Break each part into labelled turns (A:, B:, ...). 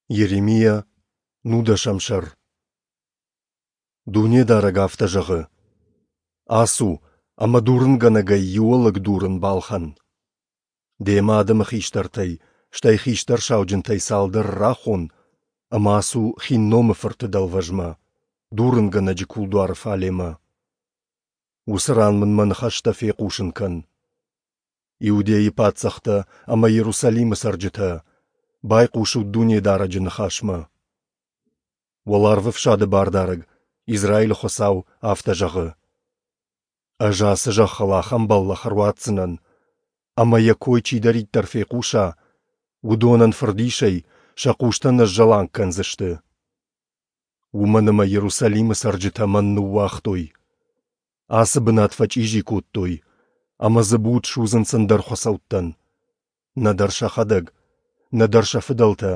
A: Йеремиа, нудӕсӕм сӕр. Дунедарӕг афтӕ зӕгъы: Ацу ӕмӕ дурынгӕнӕгӕй иу ӕлыг дурын балхӕн. Демӕ адӕмы хистӕртӕй, стӕй хистӕр сауджынтӕй цалдӕр рахон ӕмӕ ацу Хинномы фырты дӕлвӕзмӕ, дурынгӕнӕджы кулдуары фалемӕ. Уыцы ран мын мӕ ныхӕстӕ фехъусын кӕн. Иудейы паддзӕхтӕ ӕмӕ Иерусалимы цӕрджытӕ, байхъусут Дунедарӕджы ныхасмӕ. Уӕларвӕфсады Бардарӕг, Израилы Хуыцау, афтӕ зӕгъы: Ӕз ацы зӕххыл ахӕм бӕллӕх ӕруадздзынӕн, ӕмӕ йӕ кой чидӕриддӕр фехъуса, уыдонӕн фырдисӕй сӕ хъустӕ ныззӕланг кӕндзысты. Уымӕн ӕмӕ Иерусалимы цӕрджытӕ мӕн ныууагътой. Ацы бынат фӕчъизи кодтой, ӕмӕ дзы буд судзынц ӕндӕр хуыцӕуттӕн. Нӕдӕр сӕхӕдӕг, нӕдӕр сӕ фыдӕлтӕ,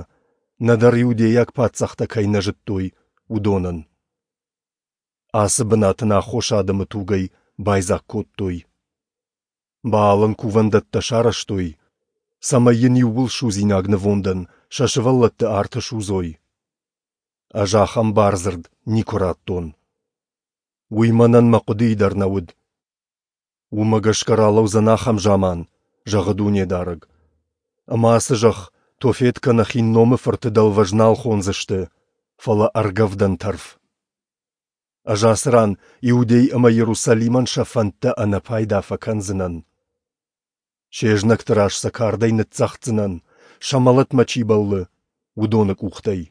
A: нӕдӕр иудейаг паддзӕхтӕ кӕй нӕ зыдтой, уыдонӕн. Ацы бынат ын аххос адӕмы тугӕй байдзаг кодтой. Баалӕн кувӕндӕттӕ сарӕзтой, цӕмӕй йын иууылсудзинаг нывондӕн сӕ сывӕллӕтты арты судзой. Ӕз ахӕм бардзырд никуы радтон. Уый мӕнӕн мӕ хъуыдыйы дӕр нӕ уыд. Уымӕ гӕсгӕ ралӕудзӕн ахӕм заман, зӕгъы Дунедарӕг, ӕмӕ ацы зӕхх Тофет кӕнӕ Хинномы фырты дӕлвӕз нал хондзысты, фӕлӕ ӕргӕвдӕн тӕрф. Ӕз ацы ран Иудей ӕмӕ Иерусалимӕн сӕ фӕндтӕ ӕнӕпайда фӕкӕндзынӕн. Се знӕгты раз сӕ кардӕй ныццӕгъддзынӕн, сӕ мӕлӕтмӕ чи бӕллы, уыдоны къухтӕй.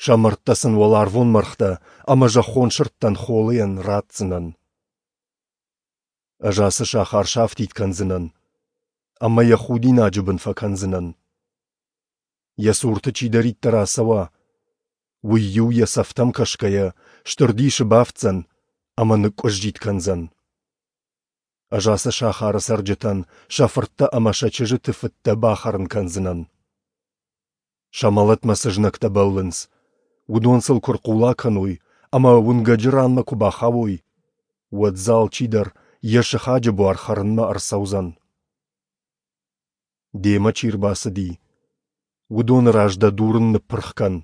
A: Сӕ мӕрдтӕ сын уӕларвон мӕргътӕ ӕмӕ зӕххон сырдтӕн холыйӕн ратдзынӕн. Ӕз ацы сахар сафтид кӕндзынӕн ӕмӕ йӕ худинаджы бын фӕкӕндзынӕн. Йӕ цурты чидӕриддӕр ацӕуа, уый-иу йӕ цӕфтӕм кӕсгӕйӕ стыр дисы бафтдзӕн ӕмӕ ныкъкъуыззитт кӕндзӕн. Ӕз ацы сахары цӕрджытӕн сӕ фырттӕ ӕмӕ сӕ чызджыты фыдтӕ бахӕрын кӕндзынӕн. Сӕ мӕлӕтмӕ цы знӕгтӕ бӕллынц, уыдон сыл куы рхъула кӕной ӕмӕ уынгӕджы ранмӕ куы бахауой, уӕд дзы алчидӕр йӕ сыхаджы буар хӕрынмӕ ӕрцӕудзӕн. Демӕ чи рбацыди, уыдоны раз дӕ дурын ныппырх кӕн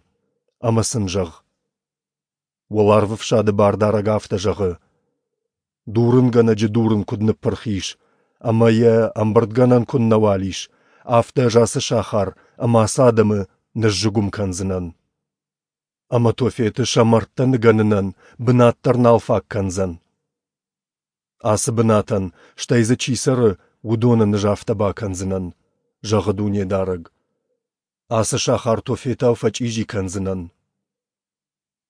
A: ӕмӕ сын зӕгъ: Уӕларвӕфсады Бардарӕг афтӕ зӕгъы: Дурынгӕнӕджы дурын куыд ныппырх ис ӕмӕ йӕ ӕмбырдгӕнӕн куыннӕуал ис, афтӕ ӕз ацы сахар ӕмӕ ацы адӕмы ныззыгуым кӕндзынӕн. Ӕмӕ Тофеты сӕ мӕрдтӕ ныгӕнынӕн бынат дӕр нал фаг кӕндзӕн. Ацы бынатӕн, стӕй дзы чи цӕры, уыдонӕн ӕз афтӕ бакӕндзынӕн, зӕгъы Дунедарӕг. Ацы сахар Тофетау фӕчъизи кӕндзынӕн.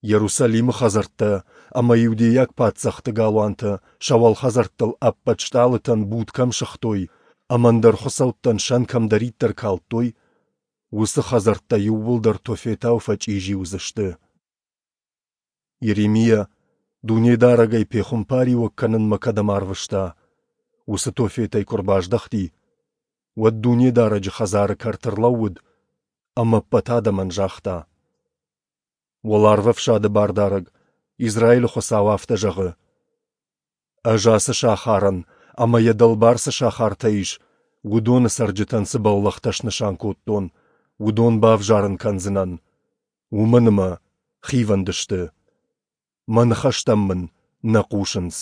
A: Иерусалимы хӕдзӕрттӕ ӕмӕ иудейаг паддзӕхты галуантӕ сӕ уӕлхӕдзӕрттыл ӕппӕт стъалытӕн буд кӕм сыгътой ӕмӕ ӕндӕр хуыцӕуттӕн сӕн кӕмдӕриддӕр калдтой, уыцы хӕдзӕрттӕ иууылдӕр Тофетау фӕчъизи уыдзысты. Йеремиа Дунедарӕгӕй пехуымпариуӕг кӕнынмӕ кӕдӕм арвыста, уыцы Тофетӕй куы ӕрбаздӕхти, уӕд Дунедарӕджы хӕдзары кӕрты ӕрлӕууыд ӕмӕ ӕппӕт адӕмӕн загъта: Уӕларвӕфсады Бардарӕг, Израилы Хуыцау афтӕ зӕгъы: Ӕз ацы сахарӕн ӕмӕ йӕ дӕлбар цы сахартӕ ис, уыдоны цӕрджытӕн цы бӕллӕхтӕ снысан кодтон, уыдон бавзарын кӕндзынӕн, уымӕн ӕмӕ хивӕнд сты, мӕ ныхӕстӕм мын нӕ хъусынц.